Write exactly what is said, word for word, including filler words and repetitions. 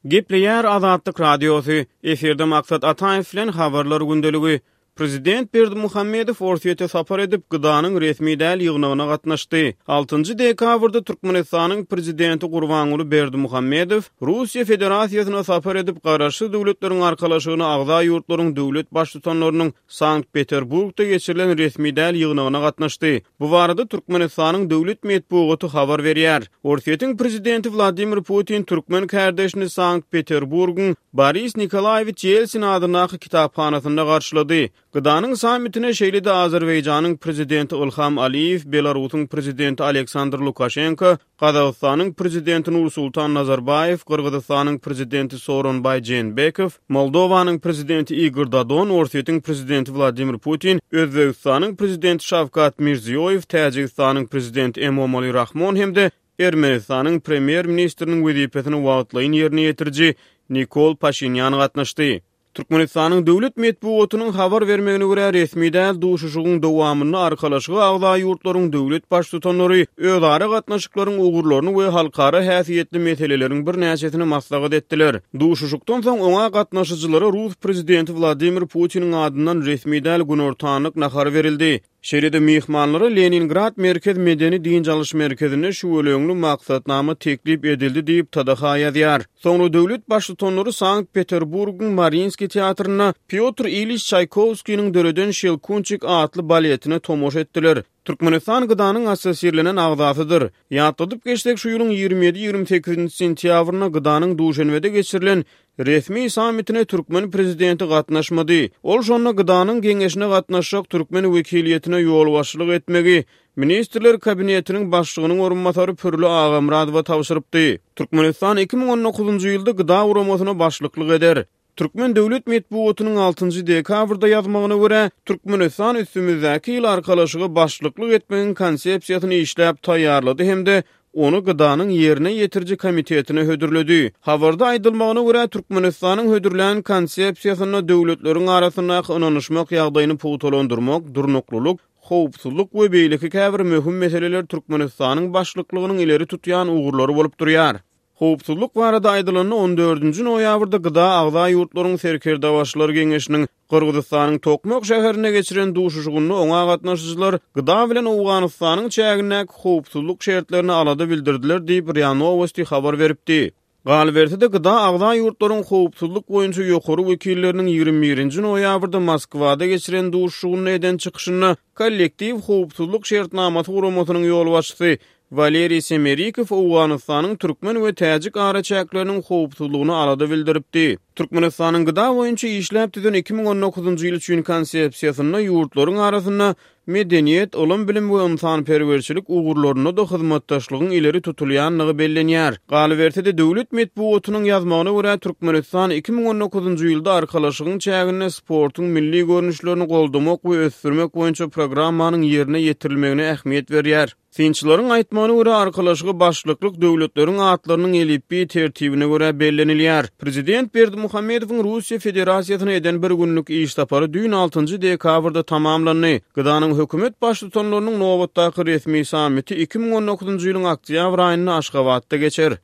Gepleýär Azatlyk Radiosy, efirde Maksat Ataýew bilen Habarlar gündeligi. Prezident Berdimuhamedow Orsýete sapar edip, GDA-nyň resmi däl ýygnagyna gatnaşdy. Altynjy dekabrda Türkmenistanyň Prezidenti Gurbanguly Berdimuhamedow Russiýa Federasiýasyna sapar edip, Garaşsyz Döwletleriň Arkalaşygyna agza ýurtlaryň döwlet Baştutanlarynyň Sankt-Peterburgda geçirilen resmi däl ýygnagyna gatnaşdy. Bu barada Türkmenistanyň döwlet metbugaty habar berýär. Orsýetiň prezidenti Wladimir Putin türkmen kärdeşini Sankt-Peterburgyň Boris Nikolaýewiç Ýelsin adyndaky kitaphanasynda garşylady. GDA-nyň sammitine şeýle-de Azerbaýjanyň prezidenti Ilham Aliýew, Belarusyň prezidenti Aleksandr Lukaşenko, Gazagystanyň prezidenti Nursultan Nazarbaýew, Gyrgyzystanyň prezidenti Sooronbaý Jeenbekow, Moldowanyň prezidenti Igor Dodon, Orsýetiň prezidenti Wladimir Putin, Özbegistanyň prezidenti Şawkat Mirziýoýew, Täjigistanyň prezidenti Emomali Rahmon hem-de Ermenistanyň premýer-ministriniň wezipesini wagtlaýyn ýerine ýetiriji Nikol Paşinýan gatnaşdy. Türkmenistanyň döwlet metbugatynyň habar bermegine görä, resmi däl duşuşygyň dowamynda Arkalaşyga agza ýurtlaryň döwlet Baştutanlary özara gatnaşyklaryň ugurlaryny we halkara häsiýetli meseleleriň birnäçesini maslahat etdiler. Duşuşykdan soň oňa gatnaşyjylara rus prezidenti Wladimir Putiniň adyndan resmi däl günortanlyk nahary berildi. Şeýle-de myhmanlara Leningrad merkez medeni-dynç alyş merkezinde şüweleňli maksatnama teklip edildi diýip, TDH ýazýar. Soňra döwlet Baştutanlary Sankt-Peterburgyň Mariinskiý teatrynda Pýotr Iliç Çaýkowskiniň döreden Şelkunçik atly baletine tomaşa etdiler. Türkmenistan GDA-nyň assosirlenen agzasydyr. Ýatladyp geçsek, şu ýylyň ýigrimi ýedi-ýigrimi sekizinji sentýabrynda GDA-nyň Duşenbede geçirilen resmi sammitine türkmen prezidenti gatnaşmady. Ol şonda GDA-nyň Geňeşine gatnaşjak türkmen wekiliýetine ýolbaşçylyk etmegi Ministrler Kabinetiniň Başlygynyň orunbasary Pürli Agamyradowa tabşyrypdy. Türkmenistan iki müň on dokuzynjy ýylda GDA guramasyna başlyklyk eder. Türkmen döwlet metbugatynyň altynjy dekabrda ýazmagyna görä, Türkmenistan üstümizdäki ýyl Arkalaşyga başlyklyk etmegiň konsepsiýasyny işläp taýýarlady hem-de ony GDA-nyň ýerine ýetiriji komitetine hödürledi. Habarda aýdylmagyna görä, Türkmenistanyň hödürlän konsepsiýasynda döwletleriň arasyndaky ynanyşmak ýagdaýyny pugtalandyrmak, durnuklylyk, howpsuzlyk we beýleki käbir möhüm meseleler Türkmenistanyň başlyklygynyň ileri tutýan ugurlary bolup durýar. Howpsuzlyk barada aýdylanda, on dördünji noýabrda GDA agza ýurtlaryň Serkerdebaşylar geňeşiniň Gyrgyzystanyň Tokmak şäherinde geçiren duşuşygynda oňa gatnaşyjylar GDA bilen Owganystanyň çägindäki howpsuzlyk şertlerine alada bildirdiler diýip, RIA Nowosti habar beripdi. Galyberse-de, GDA agza ýurtlaryň howpsuzlyk boýunça ýokary wekilleriniň ýigrimi birinji noýabrda Moskwada geçiren duşuşygynda eden çykyşynda Kollektiw howpsuzlyk şertnamasy guramasynyň ýolbaşçysy Waleriý Semerikow Owganystanyň türkmen we täjik araçäkleriniň howpsuzlygyna alada bildiripdi. Türkmenistanyň GDA boýunça işläp düzen iki müň on dokuzynjy ýyl üçin konsepsiýasynda ýurtlaryň arasynda medeniýet, ylym-bilim we ynsanperwerçilik ugurlarynda-da hyzmatdaşlygyň ileri tutulýandygy bellenýär. Galyberse-de, döwlet metbugatynyň ýazmagyna görä, Türkmenistan iki müň on dokuzynjy ýylda Arkalaşygyň çäginde sportuň milli görnüşlerini goldamak we ösdürmek boýunça programmanyň ýerine ýetirilmegine ähmiýet berýär. Synçylaryň aýtmagyna görä, Arkalaşyga başlyklyk döwletleriň atlarynyň elipbiý tertibine görä bellenilýär. Prezident Berdimuhamedowyň Russiýa Federasiýasyna eden bir günlük iş sapary düýn altynjy dekabrda tamamlandy. GDA-nyň hökümet baştutanlarynyň nobatdaky resmi sammiti iki müň on dokuzynjy ýylyň oktýabr aýynda Aşgabatda geçer.